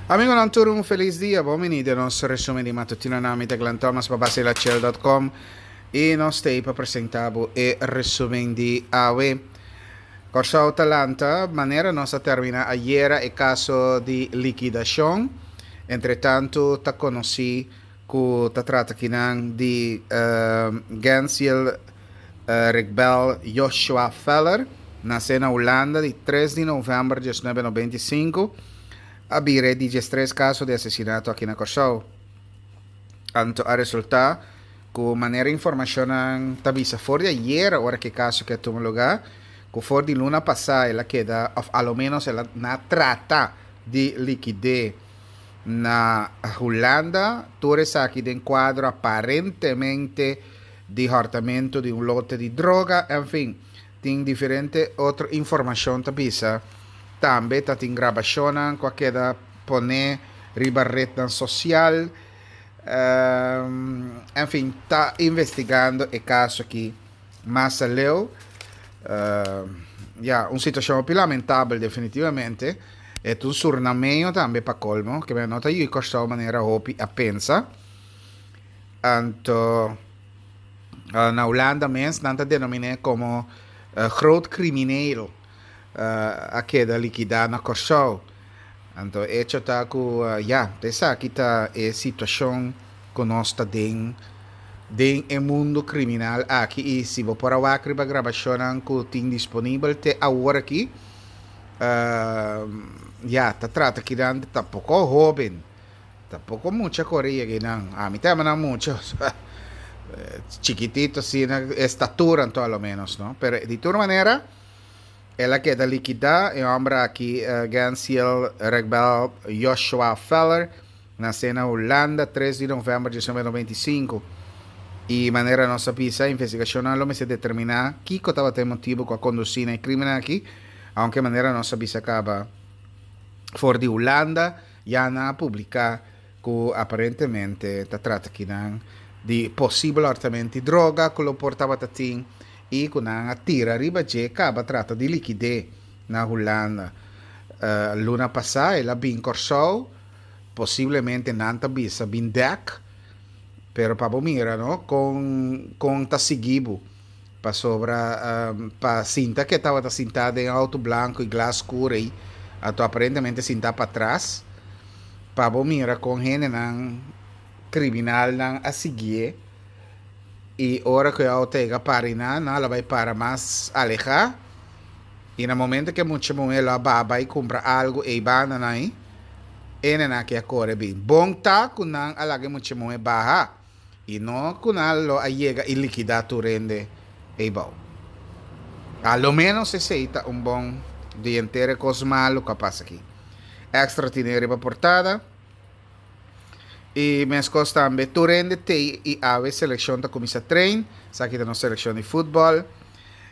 Amigonan tur un felis dia, bon bini den nos resumen di matutino. Na mi ta Glenn Thomas pa basilachel.com y nos ta pa presenta bo e resumen di awe. Kòrsou ta lanta manera nos a termina ayera e kaso di likidashon. Entretantu ta konosí ku ta trata kinan di Gensiel Rigbel Joshua Feller, nasé na Hulanda di tres di novèmber 1995, a bira e di diestres kaso di asesinato aki na Kòrsou. Anto a resultá ku manera informashonnan ta bisa for di ayera ora ku e kaso ke a tuma lugá, ku for di luna pasá el a keda òf a lo ménos el a na trata di likid'é na Hulanda, tur esaki den kuadro aparentemente di hòrtamentu di un lote di droga, enfin, tin diferente otro informashon ta bisa. Tambe ta tin grabashonnan ku a keda poné riba retnan sosial. Enfin, ta investigando e kaso aki mas aleu. Ya, un situashon hopi lamentabel definitivamente. E ta un surnameño tambe pa kolmo, ke no ta yu Kòrsou manera hopi a pensa. Anto na Hulanda mes nan ta denomin'é komo groot crimineel a keda likidá na Kòrsou. Anto echo ta ku ya, ta esaki ta e situashon ku nos ta den den e mundu kriminal aki i si bo por a wak riba grabashonnan ku tin disponibel te awor aki ya ta trata kinan ta poko hóben. Tampoco mucha core yega einan. Ami ta yama nan mucha, chikitito asina, estatura anto a lo menos, no? Pero di tur manera, el a keda likidá, e homber aki, Gensiel Regbel Joshua Feller, nase na Hulanda tres di november 1995. I manera nos a bisa, investigacionnan lo mester determiná kiko tabata e motibo ku a kondusí na e crimen aki, aunke manera nos a bisa kaba for di Hulanda, Ya nan a publica cu aparentemente ta trata kinan di posibel hortamento di droga cu lo por tabata tin y cu nan a tira riba dje caba trata di liquide na Hulanda. Luna pasa el a bin Corsou, posiblemente nan ta bisa bin dek, pero pa bo mira no con con ta sigui bo. Pasobra pa sinta ke tabata sintá den auto blanco y glas scur ei, anto aparentemente sintá patras, pa bo mira con hendenan criminalnan a siguié y ora cu e auto yega para einan, nan a la bay para mas alehá y na momento cu e mucha muhé lo a baha bay cumpra algo ei banda nan ei, hendenan aki a core bin. Bon ta cu nan a laga e mucha muhé baha. I no ku nan lo a yega i likidá tur hende eibou. A lo ménos esei ta un bon di henter e kos malu ku a pasa aki. Extra tine riba portada. I meskos tambe tur hende tei i awe selekshon ta kuminsá train. Esaki ta nos selekshon di futbòl.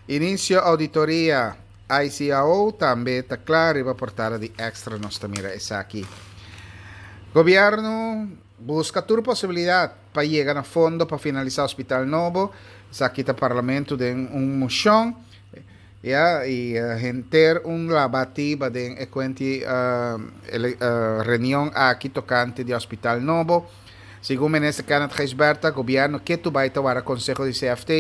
Inisio ouditoria ICAO tambe ta kla riba portada di Extra nos ta mira esaki. Gobièrnu. Buska tur posibilidat pa yega na fondo pa finalisá hospital nobo. Esaki ta Parlamento den un moshon, ya, i henter un labatiba den e kuenti reunion aki tokante di hospital nobo. Segun Minister Kenneth Gijsbertha, gobièrnu ketu bai ta wara konseho di CFT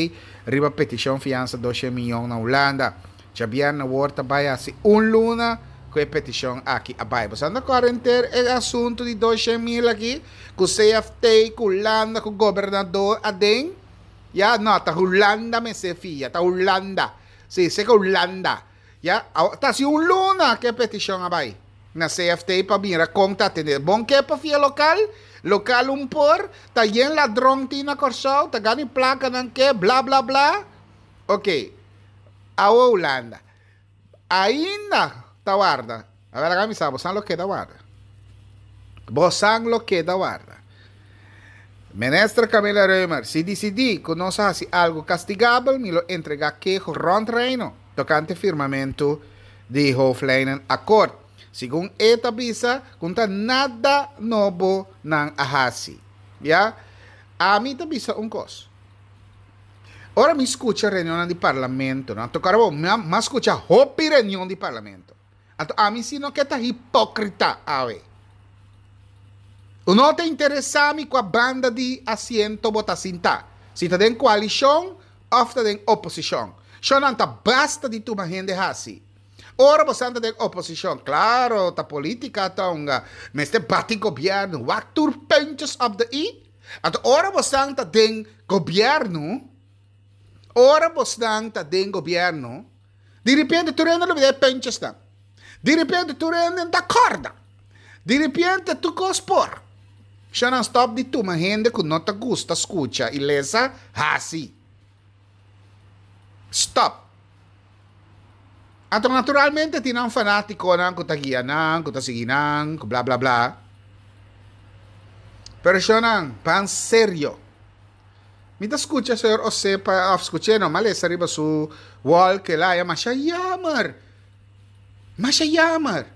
riba petishon fiansa doshen miyon na Hulanda. Djabièrnè awor ta bai hasi un luna ku e petishon aki a bai. Boso anda kòrda henter e asuntu di 200,000 aki ku CFT, ku Hulanda, ku gobernador aden? Ya, no, ta Hulanda mester fia, ta Hulanda. Si, seka Hulanda. Ya, awor ta hasi un luna ku e petishon a bai na CFT pa mira kon ta atendé. Bon ke pa fia lokal? Lokal un por, ta yen ladron tin na Kòrsou, ta gana e plakanan ke, bla bla bla. Oke. Awo Hulanda ainda ta warda. A ver, laga mi sa, bosan lo keda warda. Bosan lo keda warda. Minister Camilla Römer, si disidí ku nos a hasi algu kastigabel, mi lo entregá keho rònt Reino tokante firmamentu di Hoofdlijnenakkoord. Segun e ta bisa ku no ta nada nobo nan a hasi. Ya, ami ta bisa un kos. Ora mi skucha reunionnan di parlamento, no toca bo, mi a skucha hopi reunion di parlamento. Anto ami si no ke ta hipokrita awe. No ta interesá mi kua banda di asiento bo ta sintá, si ta den koalishon òf ta den oposishon. Shonnan ta basta di tuma hende hasi. Ora bo san ta den oposishon, klaro ta polítika ta hunga, mester bati gobièrnu, wak tur puntjes op de i. Anto ora bo san ta den gobièrnu, ora bosnan ta den gobièrnu, di repente tur hende lo bira e puntjesnan. Di repente tur hende ta kòrda. Di repente tur kos por. Shanan stòp di tuma hende ku no ta gusta skucha i lesa hasi. Stòp. Anto naturalmente tin nan fanátikonan ku ta guia nan, ku ta sigui nan, ku bla bla bla. Pero shanan, ban serio. Mi ta skucha señor Osepa, òf skuch'é no, m'a lesa riba su wall ku el a haña masha yamer. Masha yamer.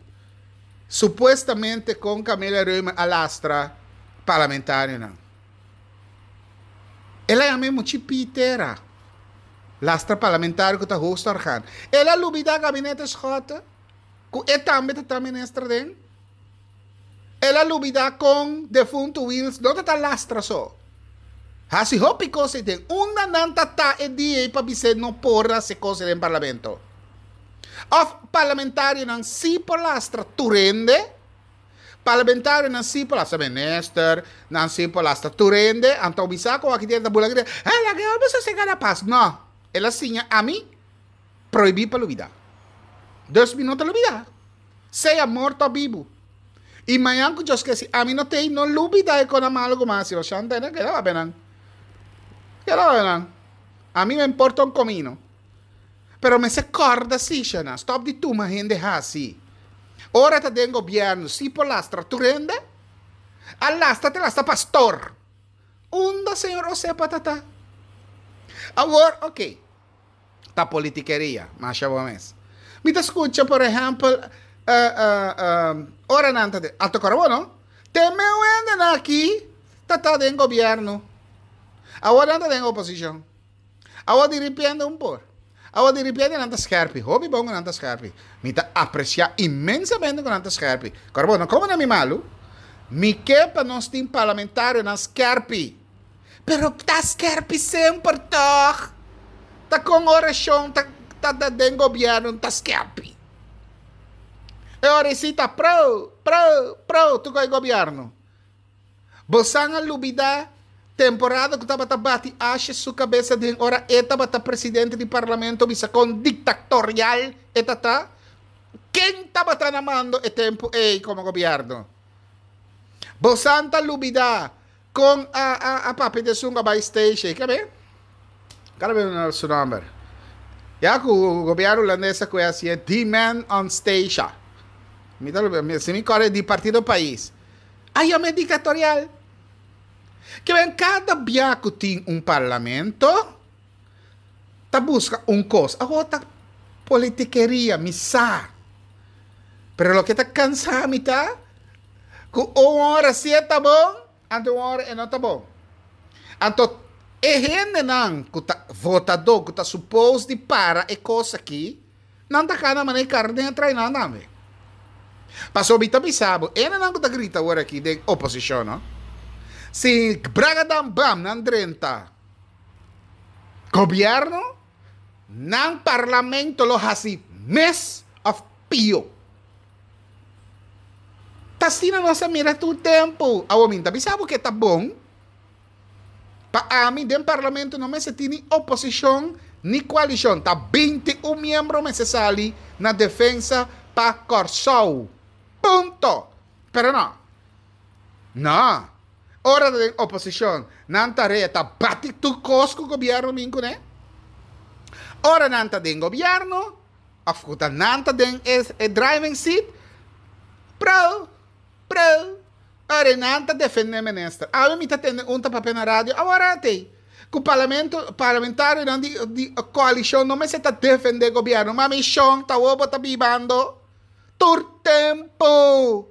Supuestamente kon Camelia Römer a lastra parlamentarionan. El a yama e muchi pitera. Lastra parlamentario ku ta hoogste orgaan. El a lubida gabinete Schotte, ku e tambe ta ta minister den. El a lubida kon defuntu Wiels no ta ta lastra so. Hasi hopi kos ei den. Unda nan ta ta e dia ei pa bis'é no por hasi kos ei den parlamento? Of parlamentarionan si por lastra tur hende? Parlamentarionan si por lastra minister, nan si por lastra tur hende, anto bisa ku aki den ta bula grita, Hey, laga e homber sosega na pas. No, el a siña ami prohibí pa lubida. Dus mi no ta lubida. Sea morto o bibu. I mañan ku Dios ke si ami no t'ei, no lubida e kona malu ku mi a hasi. Bo shanta ena keda papia nan. Keda papia nan. Ami me importa un komino. Pero mester kòrda si, shana. Stòp di tuma hende hasi. Ora ta den gobièrnu, si por lastra tur hende. A lastra te lastra pastor. Unda señor Osepa ta ta? Awor, oké. Ta politikeria, masha bo mes. Mi ta skucha por ehèmpel ora nan ta den, a toka bo no? Te meu hendenan aki ta ta den gobièrnu, awor nan ta den oposishon. Awor diripiente un por. Awor diripiente nan ta skèrpi, hopi bon ku nan ta skèrpi. Mi ta apresiá inmensamente ku nan ta skèrpi. Kòrda bo, no komo na mi malu. Mi ke pa nos tin parlamentarionan skèrpi. Pero ta skerpi semper tog. Ta con oracion ta ta den gobierno ta skerpi. E ora si ta pro, pro, pro tu con e gobierno. Bosan a lubida temporada cu tabata bati Asjes su cabeza den ora e tabata presidente di parlamento bisa con dictatorial e ta ta? Ken tabata na mando e tempo ey como gobierno? Bosan ta lubida Kon a a a papia di esun ku a bai station? Ke be? Kada be na su nomber. Ya ku gobierno hulandes a kue hasié di man on station. Mi ta mi si mi kòrda di partido pais. A yam'é dictatorial. Ke ben kada bia ku tin un parlamento ta buska un kos. Awor ta politikeria, mi sa. Pero loke ta kansa mi ta ku un ora si e ta bon, anto un ora e no ta bon. Anto e hendenan ku ta votadó, ku ta supos di para e kos aki, nan ta kana manera e karné a trae nan tambe. Pasobra mi ta bisa bo, e hendenan ku ta grita awor aki den oposishon, no, si bragadam bam nan drenta gobièrnu, Nan parlamento lo hasi mes of pio. Ta asina nos a mira tur tempu. Awor mi ta bisa bo ke ta bon. Pa ami den parlamento no mester tin ni oposishon ni koalishon. Ta 21 miembro mester sali na defensa pa Kòrsou. Punto. Pero no. No. Ora ta den oposishon, nan tarea ta bati tur kos ku gobièrnu bin kuné. Ora nan ta den gobièrnu, òf ku ta nan ta den e driving seat, pro, pro, ora nan ta defendé minister. Awe mi ta tende un ta papia na radio, awor atei, ku parlamento, parlamentarionan di di koalishon no mester ta defendé gobièrnu. Ma mi shon, ta awor bo ta bibando tur tempu.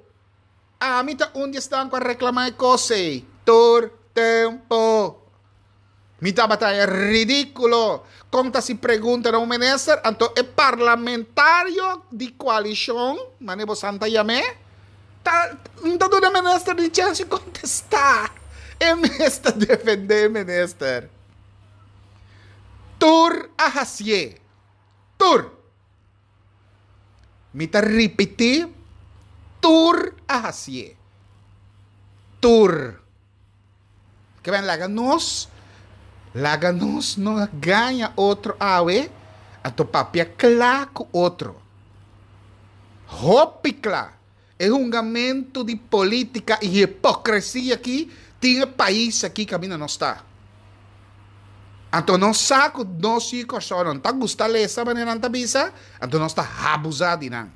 Ami ta un di esnan ku a reklamá e kos ei tur tempu. Mi tabata haña ridíkulo kon ta hasi pregunta na un minister, anto e parlamentario di koalishon, manera bosan ta yam'é, Ta no ta duna minister ni chance di contesta. E mes ta defende e minister. Tur a hacié. Tur. Mi ta ripiti, tur a hacié. Tur. Ke ben laga nos, laga nos no gaña otro awe, anto papia kla ku otro. Hopi kla. E hungamentu di politika i hipokresia aki tin e pais aki kaminda nos ta. Anto nos sa ku nos yu Kòrsou nan ta gusta lesa manera nan ta bisa, anto nos ta habuzá di nan.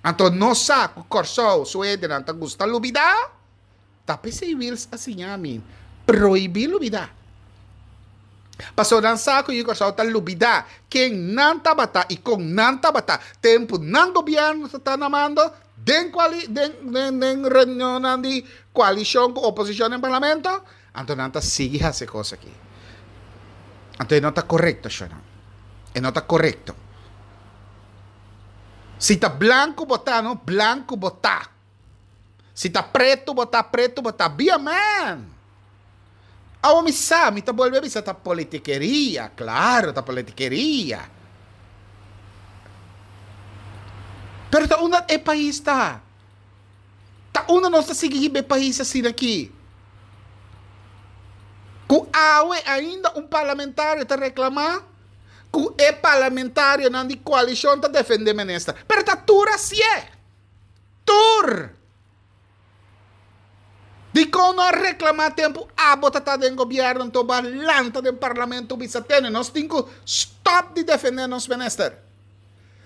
Anto nos sa ku Kòrsou su hendenan ta gusta lubidá. Ta p'esei Wiels a siña mi prohibí lubidá. Pasobra nan sa ku yu Kòrsou ta lubidá ken nan tabata i kon nan tabata tempu nan gobièrnu ta ta na mando den kuali den den den reunionnan di koalishon ku oposishon den parlamento, anto nan ta sigui hasi e kos aki. Anto e no ta korekto, shonnan. E no ta korekto. Si ta blanku bo ta, no blanku bo ta. Si ta pretu bo ta, pretu bo ta. Be a man! Awo mi sa, mi ta bolbe bisa ta politikeria, claro ta politikeria. Pero ta unda e pais ta? Ta unda nos ta sigui hiba e pais asina aki? Ku awe ainda un parlamentario ta reclama ku e parlamentarionan di coalicion ta defende minister. Pero ta tur asié! Tur! Dikon no a reklamá tempu abo ta ta den gobièrnu anto bo a lanta den parlamento bisa tene nos tin ku stòp di defendé nos minister?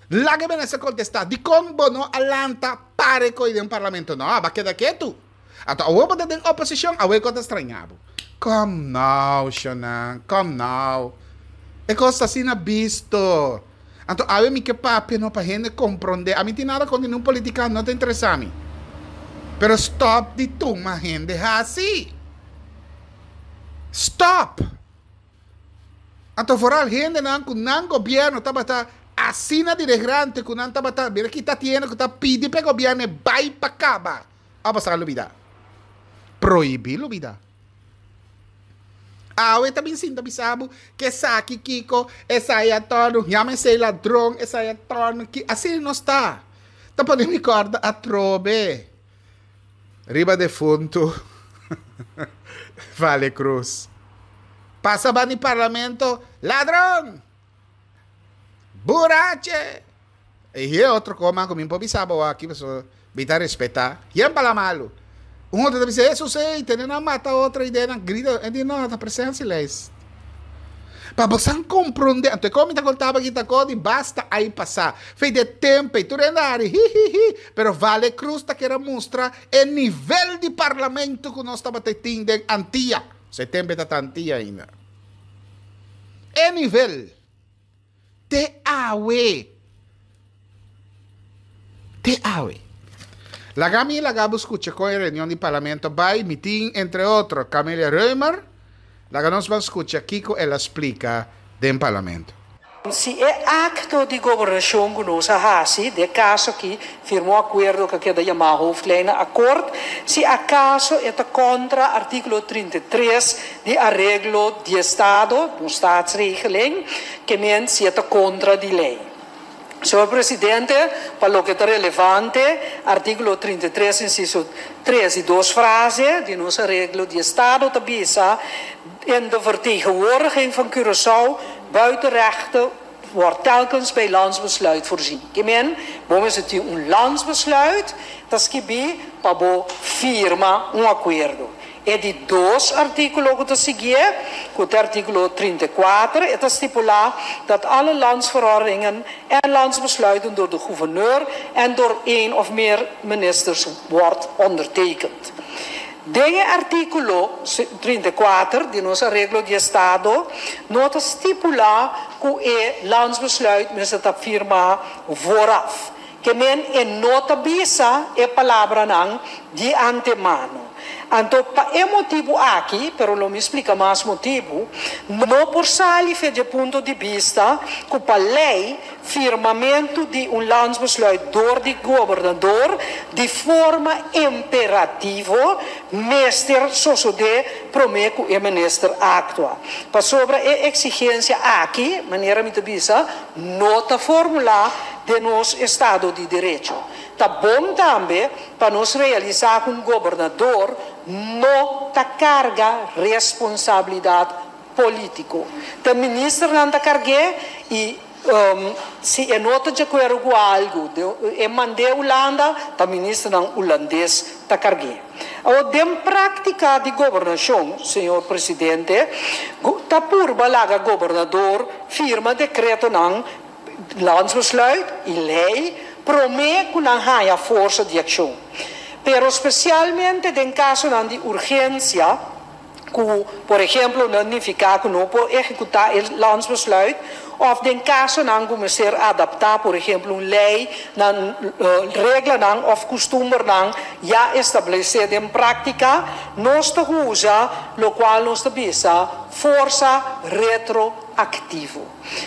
Laga e minister kontestá dikon bo no a lanta pare koe den parlamento? No, abo a keda ketu. Anto awor bo ta den oposishon awor e kos ta strañá bo. Kom nou shonnan, kom nou. E kos ta asina bisto. Anto awe mi ke papia no pa hende komprondé. Ami tin nada kontra ningun politikant, no ta interesá mi. Pero stòp di tuma hende hasi. Stòp! Anto foral hendenan ku nan gobièrnu tabata asina diregrante ku nan tabata mira kita tin hende ku ta pidi pa e gobièrnu e bai pa kaba. A pasá lubidá. Prohibí lubidá. Awe ta bin sinta bisa bo ke esaki kiko, esai a torno, yama esei ladron, esai a torno ki, asina nos ta. Ta pone mi kòrda atrobe riba defuntu Vale Cruz. Pasa bani parlamento, ladron! Burache! I e otro koma ku mi por bisa bo aki pasobra mi ta respetá. Yen pala malu. Un otro ta bisa, Hesus ei, tene nan mata otro i den nan grita. E di, no, ta presensia leis. Pa bosan komprondé. Anto e kos mi ta kontaba aki ta kos di basta ai pasá. Fei di e tempu ei, tur hende a hari, hi, hi, hi. Pero Vale Cruz ta kere mustra e nivel di parlamento ku nos tabata tin den Antia. Pasobra e tempu ei ta ta Antia ainda. E nivel. Te awe. Te awe. Laga mi laga bo skucha kon e reunion di parlamento bai. Mi tin entre otro Camelia Römer. Laga nos ban skucha kiko el a splika den parlamento. Si e akto di gobernashon ku nos a hasi, den e kaso aki firma un akuerdo ku a keda yamá Hoofdlijnenakkoord, si akaso e ta kontra artíkulo 33 di areglo di estado, nos Staatsregeling, ke men si e ta kontra di lei. Señor Presidente, pa loke ta relevante, artíkulo 33 insiso 3 di dos frase di nos areglo di estado ta bisa, In de vertegenwoordiging van Curaçao buiten rechten wordt telkens bij landsbesluit voorzien. Ke men, bo mester tin un landsbesluit ta skibí pa bo firma un akuerdo. E di dos artíkulo ku ta siguié, ku ta artíkulo 34, e ta stipulá dat alle landsverordeningen en landsbesluiten door de gouverneur en door één of meer ministers wordt ondertekend. Den e artíkulo 34 di nos Areglo di Estado no ta stipulá ku e landsbesluit mester ta firmá vooraf. Ke men e no ta bisa e palabranan di antemano. Anto pa e motibu aki, pero lo mi splika mas motibu, no por sali fe dje punto di bista ku pa lei firmamentu di un landsbesluit dor di gobernador di forma imperativo mester sosodé promé ku e minister aktua. Pasobra e eksigensia aki, manera mi ta bisa, no ta formulá den nos estado di derecho. Ta bon tambe pa nos realisá ku un gobernador no ta karga responsabilidat polítiko. Ta ministernan ta karg'é i si e no ta di akuerdo ku algu e mand'é Hulanda, ta ministernan hulandes ta karg'é. Awor den práktika di gobernashon, señor presidente, ta purba laga gobernador firma dekretonan Landsbesluit i lei promé ku nan haña forsa di akshon. Pero spesialmente den kasonan di urgensia ku por ehemplo no nifiká ku no por ehekutá e landsbesluit òf den kasonan ku mester adaptá por ehemplo un lei na reglanan òf kustumbernan ya establesé den práktika, nos ta usa lokual nos ta bisa forsa retroaktivo.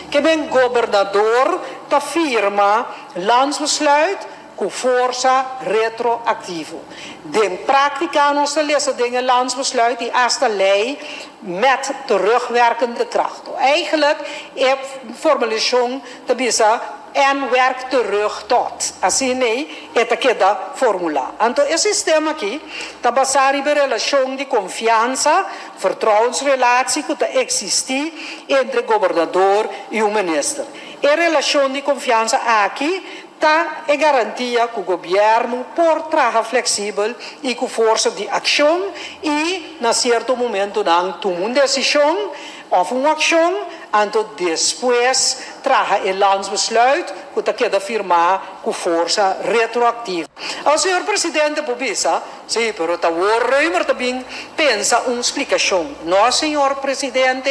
Ke ben gobernador ta firma landsbesluit ku forsa retroaktivo. Den práktika nos ta lesa den e landsbesluit i asta lei met terugwerkende kracht. Eigenlijk e formulashon ta bisa en werkt terug tot. Asina ei e ta keda formulá. Anto e sistema aki ta basá riba e relashon di konfiansa Vertrouwensrelatie ku ta eksistí entre gobernador i un minister. E relashon di konfiansa aki ta e garantia ku gobièrnu por traha fleksibel i ku forsa di akshon i na sierto momentunan tuma un desishon òf un akshon, anto despues traha e landsbesluit ku ta keda firmá ku forsa retroaktivo. Awor señor presidente por bisa Sí, pero ta wor Römer ta bin pensa un splikashon. No, señor presidente,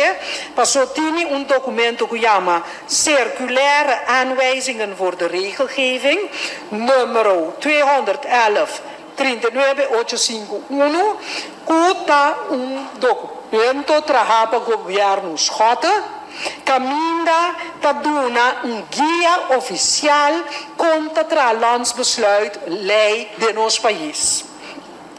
paso tini un dokumento ku yama Circulaire aanwijzingen voor de regelgeving, numero 211 39 ocho sinku unu, ku ta un dokumento trahá pa gobièrnu Schotte, kaminda ta duna un guia ofisial kon ta traha landsbesluit, lei, den nos pais.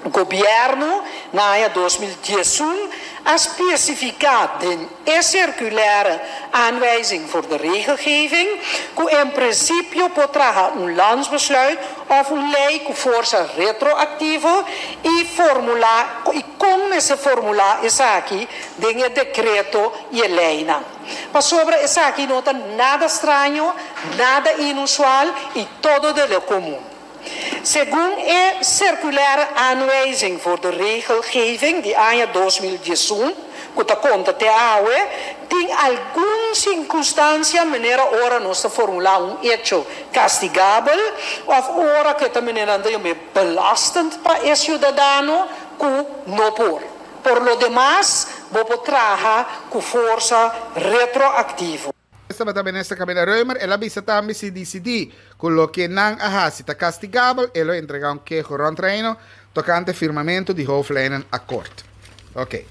Gobièrnu na aña 2011 a spesifiká den e Circulaire Aanwijzing voor de Regelgeving ku en prinsipio por traha un landsbesluit òf un lei ku forsa retroaktivo i formulá i kon mester formulá esaki den e dekreto i e leinan. Pasobra esaki no ta nada straño, nada inusual i todo de lo komun. Segun e Circulaire Aanwijzing voor de Regelgeving di aña 2011, ku ta konta te awe, tin algun sirkunstansia manera ora nos ta formulá un echo kastigabel òf ora ku e ta manera nan ta yam'é belastend pa e siudadano ku no por. Por lo demas, bo por traha ku forsa retroaktivo. Tabata Minister Camila Römer, el a bisa tambe si disidí ku loke nan a hasi ta kastigabel, e lo entregá un keho rònt Reino tokante firmamentu di hooflijnenakkoord. Oké.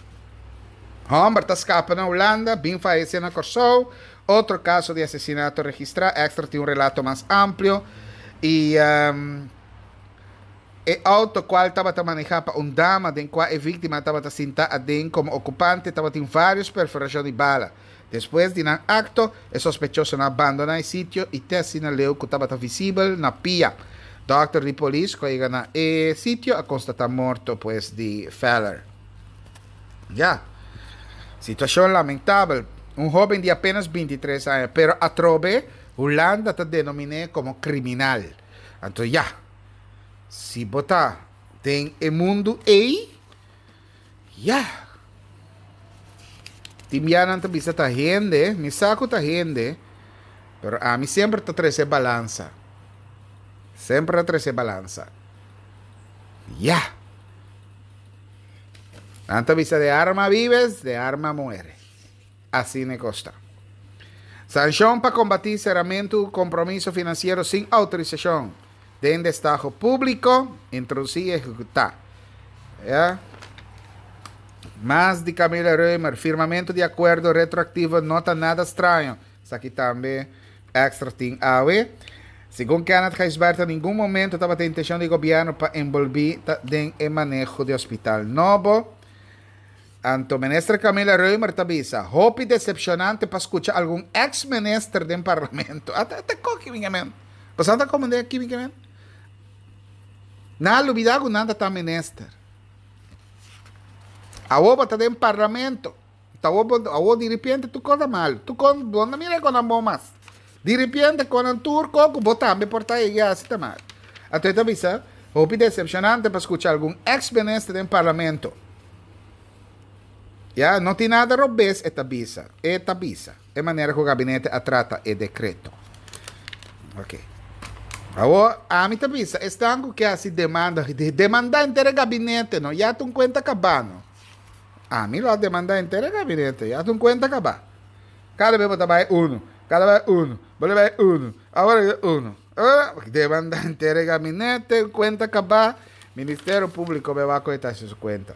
Hòmber ta skapa na Hulanda, bin fayesé na Kòrsou, otro kaso di asesinato registrá, Extra tin un relato mas amplio i. E auto cual tabata maneha pa un dama den cua e victima tabata sinta aden como ocupante tabatin varios perforacion di bala. Despues di nan acto, e sospechosonan a bandona e sitio y te asina leu cu tabata visibel na pia. Dokter di polis cu a yega na e sitio a constata morto pues di Feller. Ya. Situacion lamentabel. Un hoben di apenas 23 aña, pero atrobe Hulanda ta denomine como criminal. Anto ya. Si bo ta den e mundu ei, ya. Tin bia nan ta bisa ta hende, mi sa ku ta hende, pero ami semper ta trese balansa. Semper ta trese balansa. Ya. Nan ta bisa de arma vives, de arma muere. Asina e kos ta. Sanshon pa kombatí seramentu kompromiso finansiero sin outorisashon den destaho públiko, introdusí i ehekutá. Ya. Mas di Camila Römer, Firmamentu di akuerdo retroaktivo no ta nada straño. Esaki tambe Extra tin awe. Segun Kenneth Gijsbertha ningun momento tabata intencion di gobierno pa enbolbi ta den e maneho di hospital nobo. Anto minister Camilla Römer ta bisa, hopi decepcionante pa scucha algun ex minister den parlamento. Ata ata koki mi men. Boso ata como den aki mi men? Nan a lubida cu nan ta ta minister. Awo bo ta den parlamento. Ta awo bo awo diripiente tur kos ta mal. Tur kos bo no mira kon nan bon mas. Diripiente kon nan tur kos ku bo tambe por ta ey hasi ta mal. Anto e ta bisa, hopi decepcionante pa skucha algun ex minister den parlamento. Ya, no tin nada robes e ta bisa. E ta bisa. E manera ku gabinete a trata e dekreto. Ok. Awo ami ta bisa esnan ku ke hasi demanda, demanda henter e gabinete no, ya ta un kuenta kabá no. Ami lo a demanda henter e gabinete, ya ta un kuenta kabá. Kada bes bo ta bai uno, kada bai uno, bo ta bai uno, awor e uno. Demanda henter e gabinete, un kuenta kabá, Ministerio Públiko be wak ku e ta hasi su kuenta.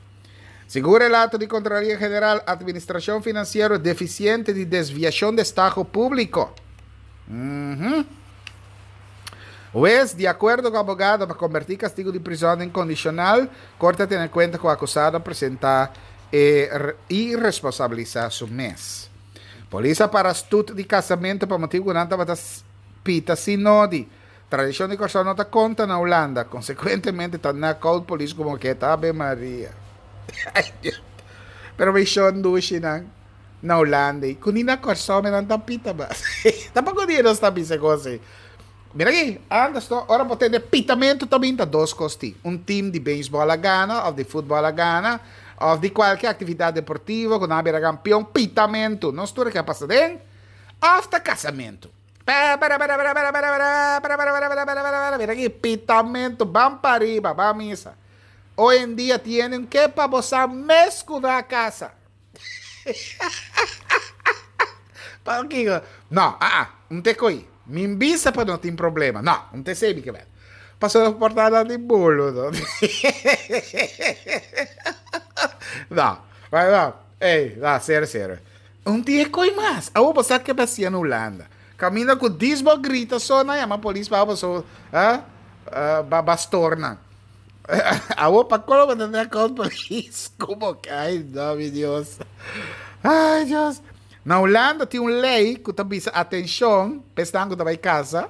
Segun relato di Contraloria General, administracion financiero deficiente di desviacion destaho publico. Huez, di acuerdo cu abogado pa converti castigo di prison den condicional, Corte a tene cuenta cu acusado a presenta e y responsabilisa su mes. Polis a para stoet di casamento pa motibo cu nan tabata pita sin nodi. Tradishon di Kòrsou no ta konta na Hulanda, konsekuentemente ta na koud polis komo ke ta Ave Maria. Ay Dios. Pero mi shon dushinan na Hulanda i ku ni na Kòrsou mi nan ta pita mas. Tampoko dia nos ta bisa kos ei. Mira aki, antes no, ora bo tende pitamentu ta bin ta dos kos tin. Un tim di beisbòl a gana òf di futbòl a gana òf di kualke aktividat deportivo ku nan a bira kampion, pitamentu. Nos tur a ke a pasa den òf ta kasamentu. Mira aki, pitamentu, ban pa riba, ban misa. Hoy en dia tienen ke pa bo sa mes ku na kasa. Pakiko? No, aa, un te koi. Mi bisa pa no tin problema. No, un te sebi ke bel. Pasobra por ta nan di bolo, no. No, no, ey, no, serio, serio. Un dia koi mas. Awor bo sa ke basia na Hulanda. Kaminda ku dis bo grita so nan yama polis pa bo so ba bastornan. Awor pa kolo bo ta tene kont polis komo ke ay no mi Dios. Ay Dios. Na Hulanda tin un lei ku ta bisa atenshon pa esnan ku ta bai kasa.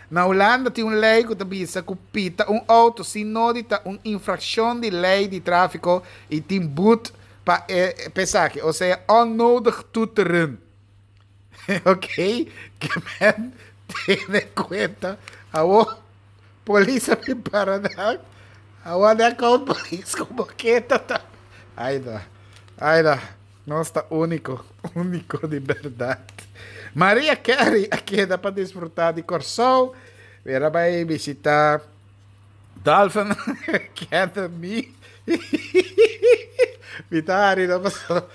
Na Hulanda tin un lei ku ta bisa ku pita un outo sin nodi ta un infrakshon di lei di trafiko i tin but Pa e p'esaki, osea onnodig toeteren. Ok, ke men tene kuenta. Awor polis a bin para nan. Awor nan kon polis ku boketa ta. Ai no, ai no. Nos ta úniko, úniko di bèrdat. Maria Carey a keda pa disfrutá di Kòrsou. El a bai bishitá. Dolphin Academy. Mi ta hari no paso.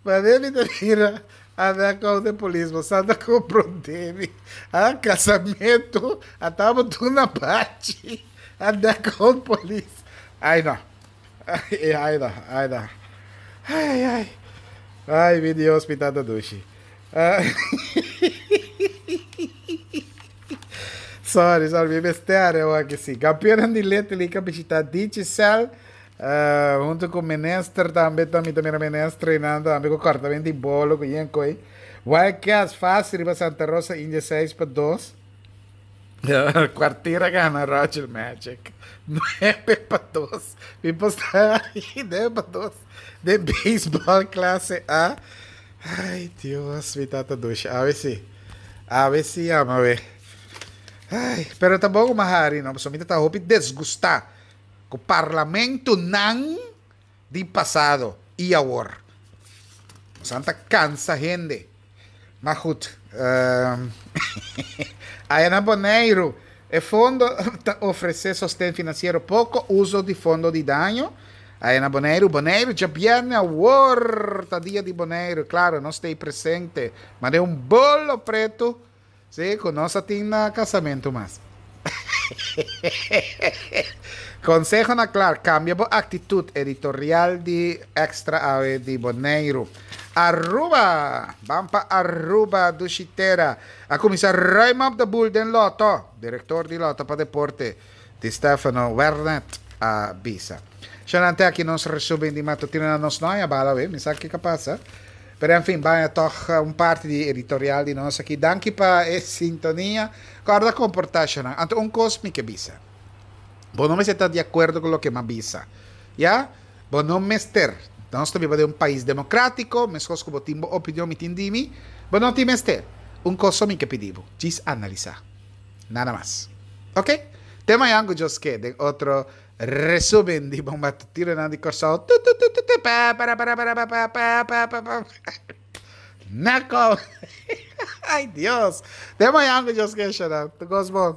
Wanneer mi ta mira anda con de polis, bo sa ta comprende mi. A casamento, a tabo duna bachi. Anda con polis. Ay no. Ay no, ay no. Ay ay ay. Ay mi Dios, mi tata dushi. Sorry, sorry, mi mester are awor si. Campeonan di Little League a bishita Digicel, hunto cu minister tambe, ta mi ta mira minister einan tambe cu cortamento di bolo cu yen coi. Wildcats facil riba Santa Rosa India 6-2. Kwartier a gana Roger Magic 9-2. Mi posta 9-2 den baseball clase A. Ay Dios mi tata dushi awe si awe si yama we ay pero ta bon ku mi a hari no pasobra mi ta hopi desgusta ku parlamentonan di pasado i awor nos ta kansa hende ma goed aya na Boneiru e fondo ta ofrese sosten finansiero poko uso di fondo di daño. Aya na Boneiru, Boneiru djabièrnè awor ta dia di Boneiru, klaro nos ta ei presente, ma den un bolo pretu, si, ku nos a tin na kasamentu mas. Konseho na Clark, kambia bo aktitut, editorial di Extra awe di Boneiru. Aruba! Ban pa Aruba, dushi tera. A kuminsá ruim op de boel den Lotto, direktor di Lotto pa Deporte, Di Stefano Wernet a bisa. Shonante aki nos resumen di matutino na nos no haña bala we, mi sa kiko a pasa. Pero en fin, baña tog un parti di editorial di nos aki. Danki pa e sintonia. Kòrda komportá shonnan. Anto un kos mi ke bisa. Bo no mester ta di akuerdo ku loke m'a bisa. Ya? Bo no mester. Nos ta biba den un pais demokratiko, meskos ku bo tin bo opinion, mi tin di mi. Bo no tin mester. Un kos so mi ke pidi bo, djis analisá. Nada mas. Ok. Te mañan cu Dios ke den otro resumen di Bon Matutinonan di Corsou. Tu tu tu tu tu pa para para para pa pa pa pa pa pa. Nako. Ay Dios. Te mañan cu Dios ke, Sharon. Tu cos bon.